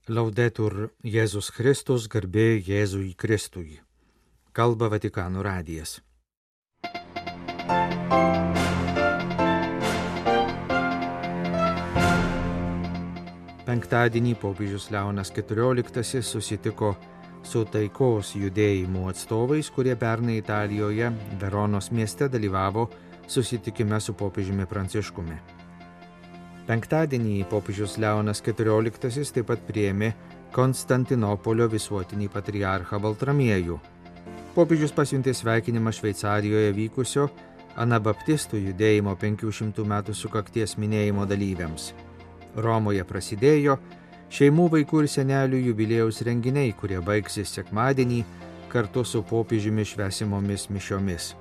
Laudetur Jėzus Kristus, garbė Jėzui Kristui. Kalba Vatikano radijas. Penktadienį popiežius Leonas XIV susitiko su taikos judėjimų atstovais, kurie pernai Italijoje, Veronos mieste dalyvavo susitikime su popiežiumi Pranciškumi. Penktadienį popiežius Leonas XIV taip pat priėmė Konstantinopolio visuotinį patriarchą Baltramiejų. Popiežius pasiuntė sveikinimą Šveicarijoje vykusio Anabaptistų judėjimo 500 metų sukakties minėjimo dalyviams. Romoje prasidėjo šeimų, vaikų ir senelių jubiliejaus renginiai, kurie baigsis sekmadienį kartu su popiežiumi švęsimomis mišiomis.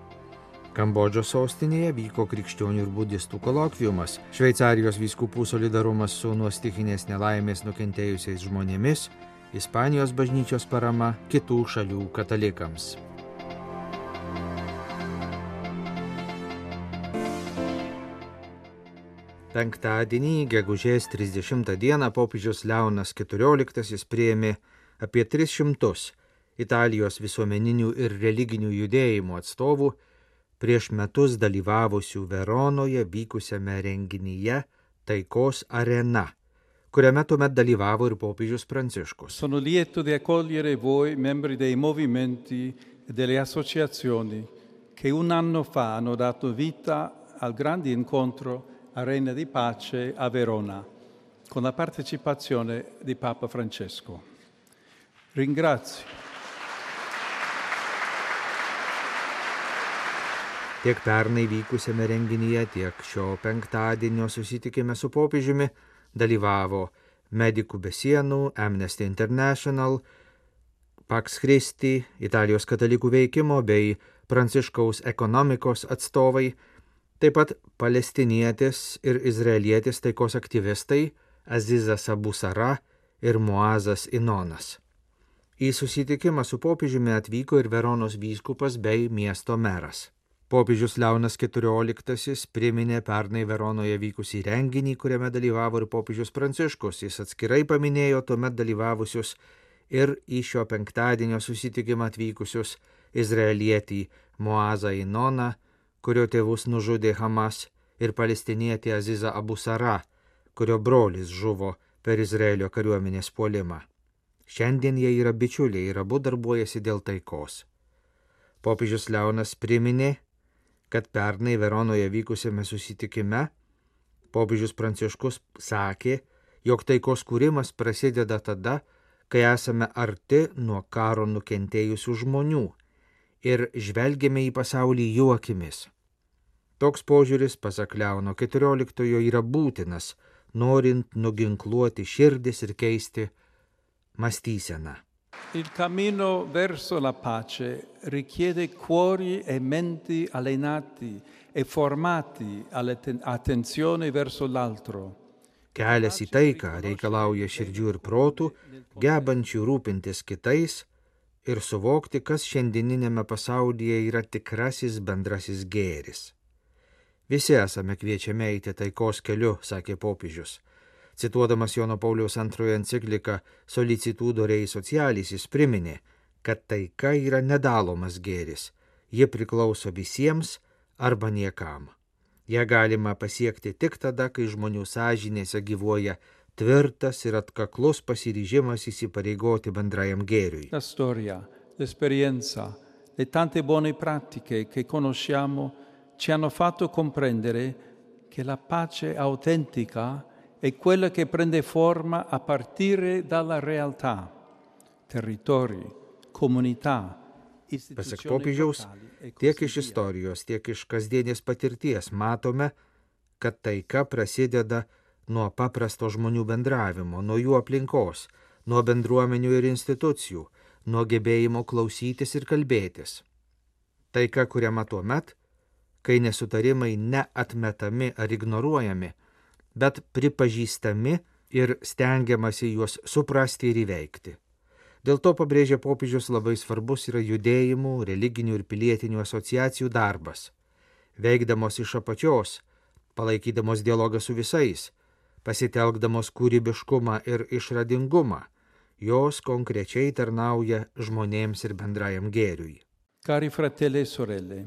Kambodžos sostinėje vyko krikščionių ir budistų kolokviumas, Šveicarijos vyskupų solidarumas su nuo stichinės nelaimės nukentėjusiais žmonėmis, Ispanijos bažnyčios parama kitų šalių katalikams. Penktadienį, gegužės 30 dieną, popiežius Leonas XIV priėmė apie 300 Italijos visuomeninių ir religinių judėjimų atstovų prieš metus dalyvavusių Veronoje vykusiame renginyje Taikos arena, kuriame tuomet dalyvavo ir popiežius Pranciškus. Sono lieto di accogliere voi, membri dei movimenti e delle associazioni che un anno fa hanno dato vita al grande incontro Arena di Pace a Verona, con la partecipazione di Papa Francesco. Ringrazio. Tiek pernai vykusiame renginyje, tiek šio penktadienio susitikime su popiežiumi dalyvavo Medikų be sienų, Amnesty International, Pax Christi, Italijos katalikų veikimo bei Pranciškaus ekonomikos atstovai, taip pat palestinietis ir izraelietis taikos aktyvistai Azizas Abu Sara ir Muazas Inonas. Į susitikimą su popiežiumi atvyko ir Veronos vyskupas bei miesto meras. Popiežius Leonas XIV priminė pernai Veronoje vykusį renginį, kuriame dalyvavo ir popiežius Pranciškus. Jis atskirai paminėjo tuomet dalyvavusius ir į šio penktadienio susitikimą atvykusius izraelietį Muazą Inoną, kurio tėvus nužudė Hamas, ir palestinietį Azizą Abu Sara, kurio brolis žuvo per Izraelio kariuomenės puolimą. Šiandien jie yra bičiuliai ir abu darbuojasi dėl taikos. Popiežius Leonas priminė, kad pernai Veronoje vykusiame susitikime popiežius Pranciškus sakė, jog taikos kūrimas prasideda tada, kai esame arti nuo karo nukentėjusių žmonių ir žvelgiame į pasaulį jų akimis. Toks požiūris, pasak Leono XIV, yra būtinas, norint nuginkluoti širdis ir keisti mąstyseną. Il cammino verso la pace richiede cuori e menti allenati e formati all'attenzione verso l'altro. Kelias į taiką reikalauja širdžių ir protų, gebančių rūpintis kitais ir suvokti, kas šiandieninėme pasaulyje yra tikrasis bendrasis gėris. Visi esame kviečiami eiti taikos keliu, sakė popiežius. Cituodamas Jono Pauliaus II encikliką Solicitudo Rei Socialis, jis priminė, kad taika yra nedalomas gėris, ji priklauso visiems arba niekam. Ja galima pasiekti tik tada, kai žmonių sąžinėse gyvuoja tvirtas ir atkaklus pasiryžimas įsipareigoti bendrajam gėriui. La storia, l'esperienza, le tante buone pratiche che conosciamo ci hanno fatto comprendere che la pace autentica è quella che prende forma a partire dalla realtà, territori, comunità, Pasak popiežiaus, tiek iš istorijos, tiek iš kasdienės patirties matome, kad taika prasideda nuo paprasto žmonių bendravimo, nuo jų aplinkos, nuo bendruomenių ir institucijų, nuo gebėjimo klausytis ir kalbėtis. Taika kuriama tuomet, kai nesutarimai neatmetami ar ignoruojami, bet pripažįstami ir stengiamasi juos suprasti ir įveikti. Dėl to, pabrėžia popiežius, labai svarbus yra judėjimų, religinių ir pilietinių asociacijų darbas. Veikdamos iš apačios, palaikydamos dialogą su visais, pasitelkdamos kūrybiškumą ir išradingumą, jos konkrečiai tarnauja žmonėms ir bendrajam gėriui. Cari fratelli e sorelle,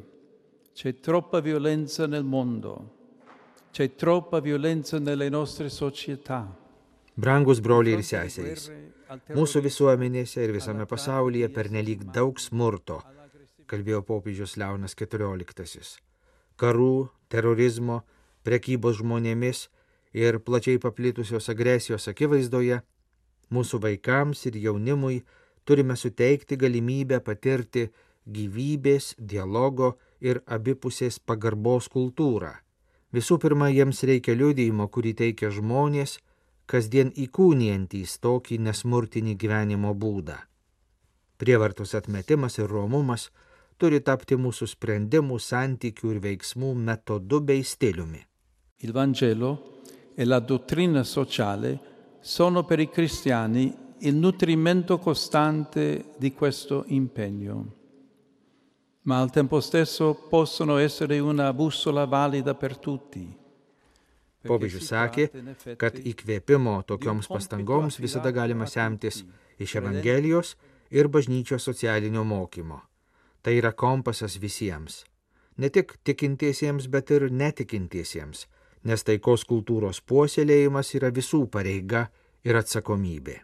c'è troppa violenza nel mondo, c'è troppa violenza nelle nostre società. Brangus broliai ir seserys, mūsų visuomenėse ir visame pasaulyje pernelyg daug smurto, kalbėjo popiežius Leonas XIV. Karų, terorizmo, prekybos žmonėmis ir plačiai paplitusios agresijos akivaizdoje, mūsų vaikams ir jaunimui turime suteikti galimybę patirti gyvybės, dialogo ir abipusės pagarbos kultūrą. Visų pirma, jiems reikia liudijimo, kurį teikia žmonės, kasdien įkūnijantys tokį nesmurtinį gyvenimo būdą. Prievartos atmetimas ir romumas turi tapti mūsų sprendimų, santykių ir veiksmų metodu bei stiliumi. Il Vangelo e la dottrina sociale sono per i cristiani il nutrimento costante di questo impegno, ma al tempo stesso possono essere una bussola valida per tutti. Popiežius sakė, kad įkvėpimo tokioms pastangoms visada galima semtis iš Evangelijos ir bažnyčios socialinio mokymo. Tai yra kompasas visiems, ne tik tikintiesiems, bet ir netikintiesiems, nes taikos kultūros puoselėjimas yra visų pareiga ir atsakomybė.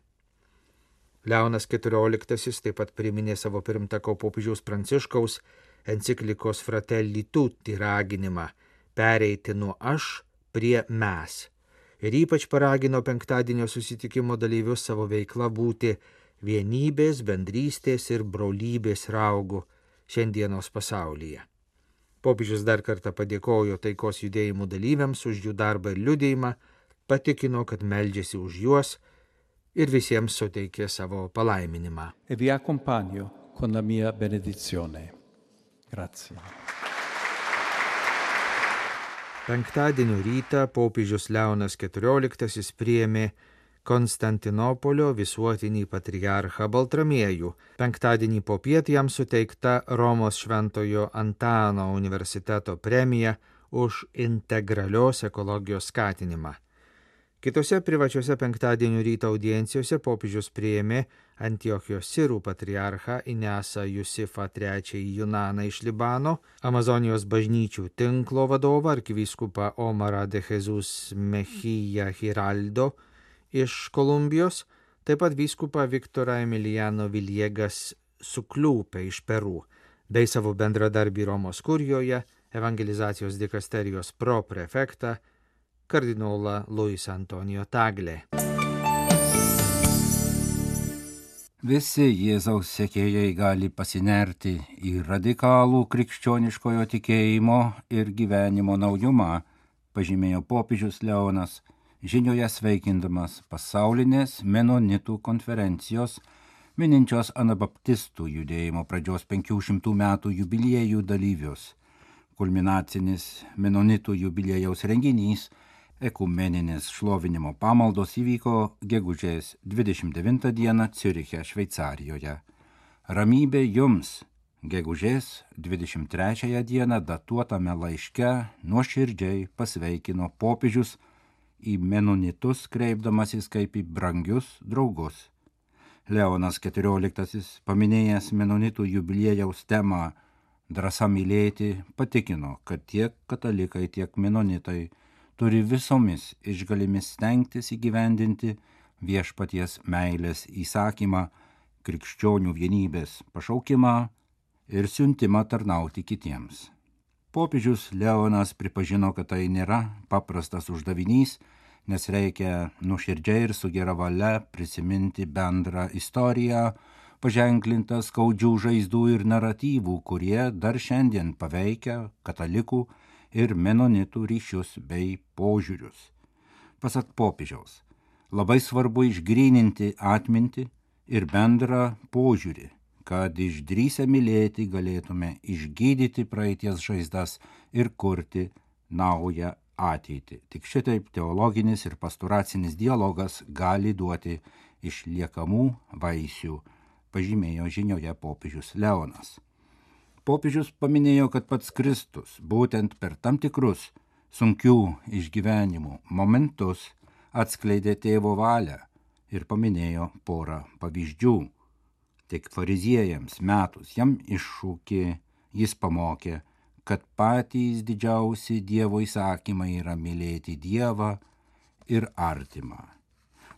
Leonas XIV taip pat priminė savo pirmtako popiežiaus Pranciškaus enciklikos Fratelli Tutti raginimą pereiti nuo aš prie mes ir ypač paragino penktadienio susitikimo dalyvius savo veikla būti vienybės, bendrystės ir brolybės raugu šiandienos pasaulyje. Popiežius dar kartą padėkojo taikos judėjimų dalyviams už jų darbą ir liudijimą, patikino, kad meldžiasi už juos ir visiems suteikė savo palaiminimą. E vi accompagno con la mia benedizione. Grazie. Penktadienio rytą popiežius Leonas XIV priėmė Konstantinopolio visuotinį patriarchą Baltramiejų. Penktadienį popiet jam suteikta Romos Šventojo Antano universiteto premija už integralios ekologijos skatinimą. Kitose privačiose penktadienio ryto audiencijose popiežius priėmė Antiochijos Sirų patriarchą Inesą Jusifą III Junaną iš Libano, Amazonijos bažnyčių tinklo vadovą arkivyskupą Omarą de Jesus Mejia Hiraldo iš Kolumbijos, taip pat vyskupą Viktorą Emiliano Viliegas Sukliūpę iš Peru, bei savo bendradarbį Romos kurijoje, evangelizacijos dikasterijos proprefektą, kardinolą Luis Antonijo Taglė. Visi Jėzaus sekėjai gali pasinerti į radikalų krikščioniškojo tikėjimo ir gyvenimo naujumą, pažymėjo popiežius Leonas, žinioje sveikindamas pasaulinės menonitų konferencijos, mininčios anabaptistų judėjimo pradžios 500 metų jubiliejų dalyvius. Kulminacinis menonitų jubiliejaus renginys, ekumeninės šlovinimo pamaldos įvyko gegužės 29 dieną Ciuriche, Šveicarijoje. Ramybė jums, gegužės 23 dieną datuotame laiške nuoširdžiai pasveikino popiežius į menonitus kreipdamasis kaip į brangius draugus. Leonas XIV, paminėjęs menonitų jubiliejaus temą drąsa mylėti, patikino, kad tiek katalikai, tiek menonitai turi visomis išgalimis stengtis įgyvendinti viešpaties meilės įsakymą, krikščionių vienybės pašaukimą ir siuntimą tarnauti kitiems. Popiežius Leonas pripažino, kad tai nėra paprastas uždavinys, nes reikia nuoširdžiai ir su gera valia prisiminti bendrą istoriją, paženklintą skaudžių žaizdų ir naratyvų, kurie dar šiandien paveikia katalikų ir menonitų ryšius bei požiūrius. Pasak popiežiaus, labai svarbu išgryninti atmintį ir bendrą požiūrį, kad išdrįsę mylėti galėtume išgydyti praeities žaizdas ir kurti naują ateitį. Tik šitaip teologinis ir pastoracinis dialogas gali duoti išliekamų vaisių, pažymėjo žinioje popiežius Leonas. Popiežius paminėjo, kad pats Kristus būtent per tam tikrus sunkių išgyvenimų momentus atskleidė tėvo valią ir paminėjo porą pavyzdžių. Tik fariziejams metus jam iššūkį, jis pamokė, kad patys didžiausi Dievo įsakymai yra mylėti Dievą ir artimą.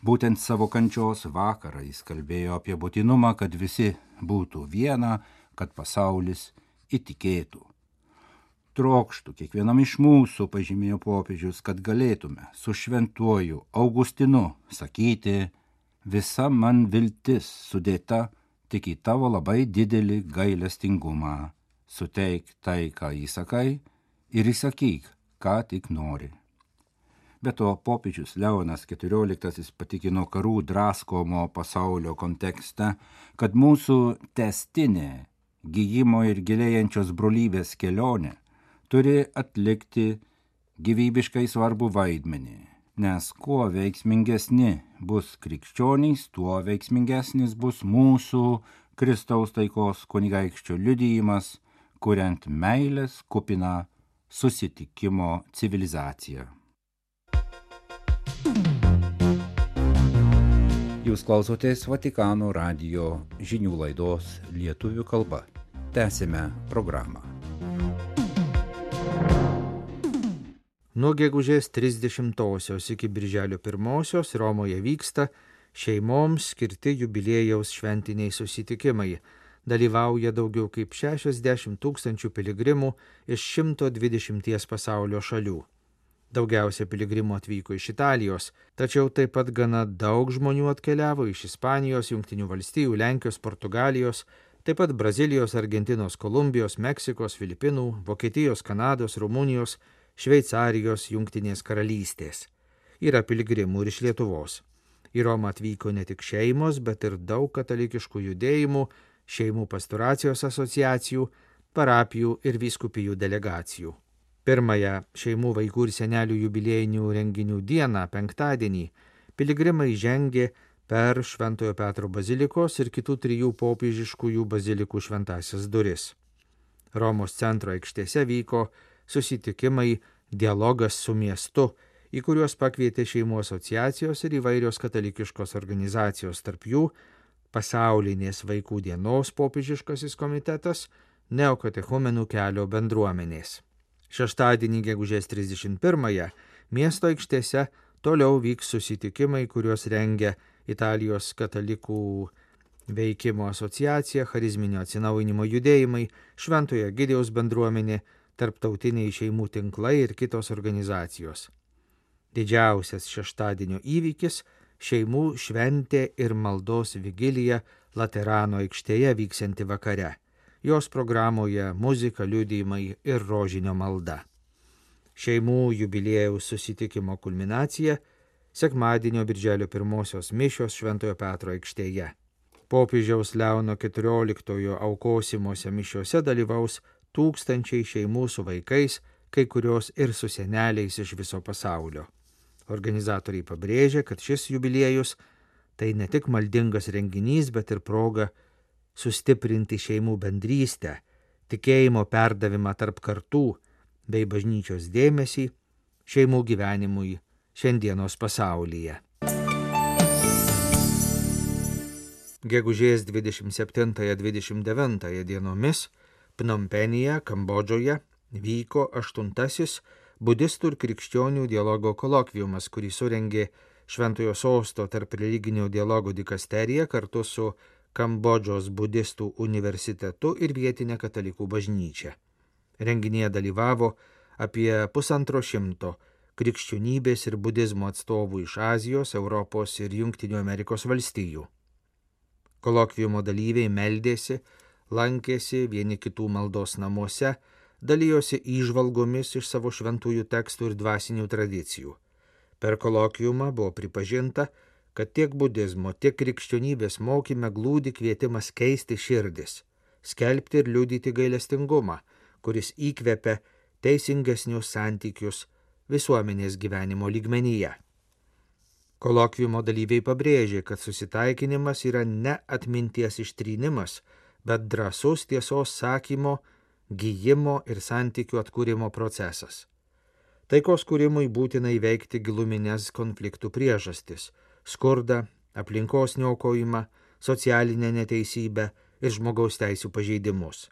Būtent savo kančios vakarą jis kalbėjo apie būtinumą, kad visi būtų viena, kad pasaulis įtikėtų. Trokštų kiekvienam iš mūsų, pažymėjo popiežius, kad galėtume su šventuoju Augustinu sakyti, visa man viltis sudėta tik į tavo labai didelį gailestingumą. Suteik tai, ką įsakai, ir įsakyk, ką tik nori. Be to, popiežius Leonas XIV patikino karų draskomo pasaulio kontekste, kad mūsų tęstinė gijimo ir gilėjančios brolybės kelionė turi atlikti gyvybiškai svarbų vaidmenį, nes kuo veiksmingesni bus krikščionys, tuo veiksmingesnis bus mūsų Kristaus taikos kunigaikščio liudijimas, kuriant meilės kupiną susitikimo civilizaciją. Jūs klausotės Vatikano radijo žinių laidos lietuvių kalba. Tęsime programą. Nuo gegužės 30-osios iki birželio 1-osios Romoje vyksta šeimoms skirti jubiliejaus šventiniai susitikimai. Dalyvauja daugiau kaip 60 000 piligrimų iš 120 pasaulio šalių. Daugiausia piligrimų atvyko iš Italijos, tačiau taip pat gana daug žmonių atkeliavo iš Ispanijos, Jungtinių valstijų, Lenkijos, Portugalijos, taip pat Brazilijos, Argentinos, Kolumbijos, Meksikos, Filipinų, Vokietijos, Kanados, Rumunijos, Šveicarijos, Jungtinės karalystės. Yra piligrimų ir iš Lietuvos. Į Romą atvyko ne tik šeimos, bet ir daug katalikiškų judėjimų, šeimų pastoracijos asociacijų, parapijų ir vyskupijų delegacijų. Pirmąją šeimų, vaikų ir senelių jubiliejinių renginių dieną, penktadienį, piligrimai žengė per Šventojo Petro bazilikos ir kitų 3 popiežiškųjų bazilikų šventąsias duris. Romos centro aikštėse vyko susitikimai Dialogas su miestu, į kuriuos pakvietė šeimų asociacijos ir įvairios katalikiškos organizacijos, tarp jų Pasaulinės vaikų dienos popiežiškasis komitetas, Neokatechumenų kelio bendruomenės. Šeštadienį gegužės 31-ąją miesto aikštėse toliau vyks susitikimai, kuriuos rengia Italijos katalikų veikimo asociacija, charizminio atsinaujinimo judėjimai, Šventojo Egidijaus bendruomenė, tarptautiniai šeimų tinklai ir kitos organizacijos. Didžiausias šeštadienio įvykis – šeimų šventė ir maldos vigilija Laterano aikštėje vyksianti vakare. Jos programoje muzika, liudijimai ir rožinio malda. Šeimų jubiliejaus susitikimo kulminacija – sekmadienio birželio 1-osios mišios Šventojo Petro aikštėje. Popiežiaus Leono XIV aukosimuose mišiose dalyvaus tūkstančiai šeimų su vaikais, kai kurios ir su seneliais iš viso pasaulio. Organizatoriai pabrėžia, kad šis jubiliejus tai ne tik maldingas renginys, bet ir proga sustiprinti šeimų bendrystę, tikėjimo perdavimą tarp kartų bei bažnyčios dėmesį šeimų gyvenimui šiandienos pasaulyje. Gegužės 27-29 dienomis Pnompenyje, Kambodžoje vyko 8. budistų ir krikščionių dialogo kolokviumas, kurį surengė Šventojo Sosto tarp religinio dialogo dikasterija kartu su Kambodžos budistų universitetu ir vietinė katalikų bažnyčia. Renginyje dalyvavo apie 150 krikščionybės ir budizmo atstovų iš Azijos, Europos ir Jungtinių Amerikos valstijų. Kolokviumo dalyviai meldėsi, lankėsi vieni kitų maldos namuose, dalijosi įžvalgomis iš savo šventųjų tekstų ir dvasinių tradicijų. Per kolokviumą buvo pripažinta, kad tiek budizmo, tiek krikščionybės mokyme glūdi kvietimas keisti širdis, skelbti ir liudyti gailestingumą, kuris įkvepia teisingesnius santykius visuomenės gyvenimo lygmenyje. Kolokviumo dalyviai pabrėžė, kad susitaikinimas yra ne atminties ištrynimas, bet drąsus tiesos sakymo, gijimo ir santykių atkūrimo procesas. Taikos kūrimui būtina įveikti giluminės konfliktų priežastis – skurdą, aplinkos niokojimą, socialinę neteisybę ir žmogaus teisių pažeidimus.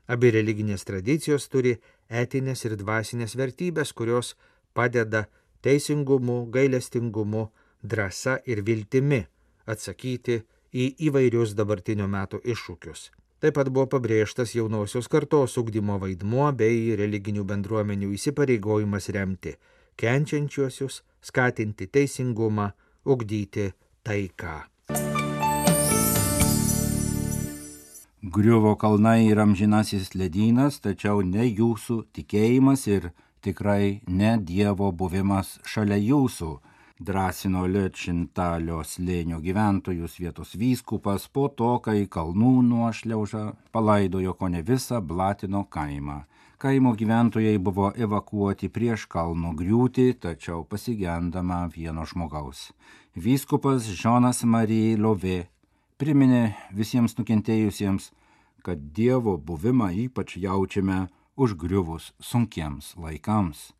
Abi religinės tradicijos turi etinės ir dvasinės vertybės, kurios padeda teisingumu, gailestingumu, drąsa ir viltimi atsakyti į įvairius dabartinio meto iššūkius. Taip pat buvo pabrėžtas jaunosios kartos ugdymo vaidmuo bei religinių bendruomenių įsipareigojimas remti kenčiančiuosius, skatinti teisingumą, ugdyti taiką. Griuvo kalnai ir amžinasis ledynas, tačiau ne jūsų tikėjimas ir tikrai ne Dievo buvimas šalia jūsų, drąsino Liečintalio slėnio gyventojus vietos vyskupas po to, kai kalnų nuošliauža palaidojo kone visą Blatino kaimą. Kaimo gyventojai buvo evakuoti prieš kalno griūtį, tačiau pasigendama vieno žmogaus. Vyskupas Jonas Marie Lovė priminė visiems nukentėjusiems, kad Dievo buvimą ypač jaučiame užgriuvus sunkiems laikams.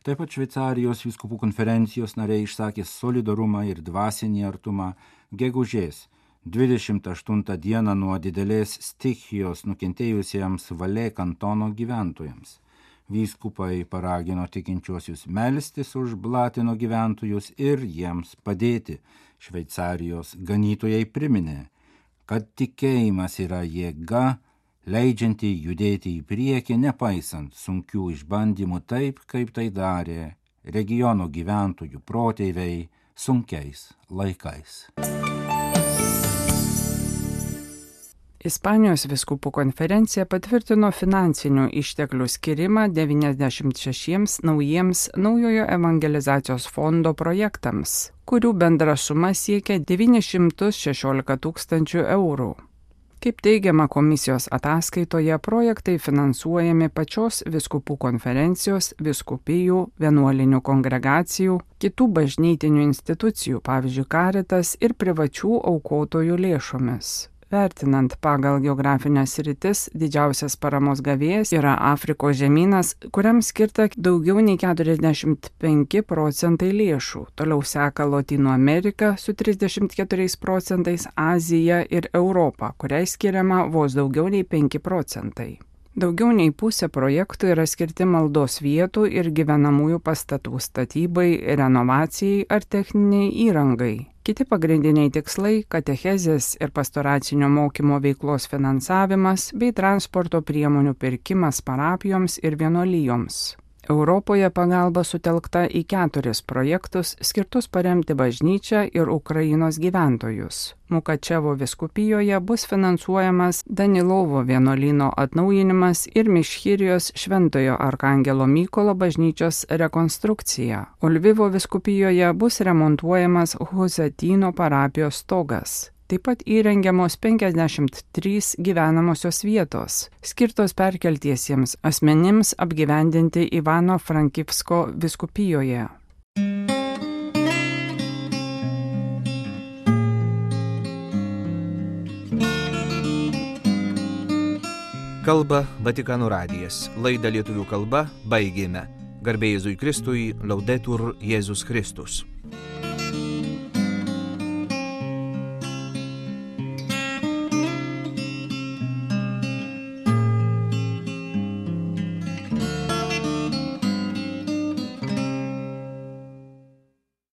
Taip pat Šveicarijos vyskupų konferencijos nariai išsakė solidarumą ir dvasinį artumą gegužės 28 dieną nuo didelės stichijos nukentėjusiems Valė kantono gyventojams. Vyskupai paragino tikinčiuosius melstis už Blatino gyventojus ir jiems padėti. Šveicarijos ganytojai priminė, kad tikėjimas yra jėga, leidžianti judėti į priekį, nepaisant sunkių išbandymų taip, kaip tai darė regiono gyventojų protėviai sunkiais laikais. Ispanijos vyskupų konferencija patvirtino finansinių išteklių skirimą 96 naujiems naujojo evangelizacijos fondo projektams, kurių bendra suma siekia 916 000 eurų. Kaip teigiama komisijos ataskaitoje, projektai finansuojami pačios vyskupų konferencijos, vyskupijų, vienuolinių kongregacijų, kitų bažnytinių institucijų, pavyzdžiui, Caritas ir privačių aukotojų lėšomis. Vertinant pagal geografinės sritis, didžiausias paramos gavėjas yra Afrikos žemynas, kuriam skirta daugiau nei 45% lėšų. Toliau seka Lotynų Amerika su 34%, Azija ir Europa, kuriai skiriama vos daugiau nei 5%. Daugiau nei pusė projektų yra skirti maldos vietų ir gyvenamųjų pastatų statybai, renovacijai ar techniniai įrangai. Kiti pagrindiniai tikslai – katechezės ir pastoracinio mokymo veiklos finansavimas bei transporto priemonių pirkimas parapijoms ir vienuolijoms. Europoje pagalba sutelkta į 4 projektus skirtus paremti bažnyčią ir Ukrainos gyventojus. Mukačevo vyskupijoje bus finansuojamas Danilovo vienuolyno atnaujinimas ir Mišchirijos Šventojo Arkangelo Mykolo bažnyčios rekonstrukcija. O Lvivo vyskupijoje bus remontuojamas Husatyno parapijos stogas. Taip pat įrengiamos 53 gyvenamosios vietos, skirtos perkeltiesiems asmenims apgyvendinti Ivano-Frankivsko vyskupijoje. Kalba Vatikano radijas. Laidą lietuvių kalba baigėme. Garbė Jėzui Kristui, Laudetur Jėzus Kristus.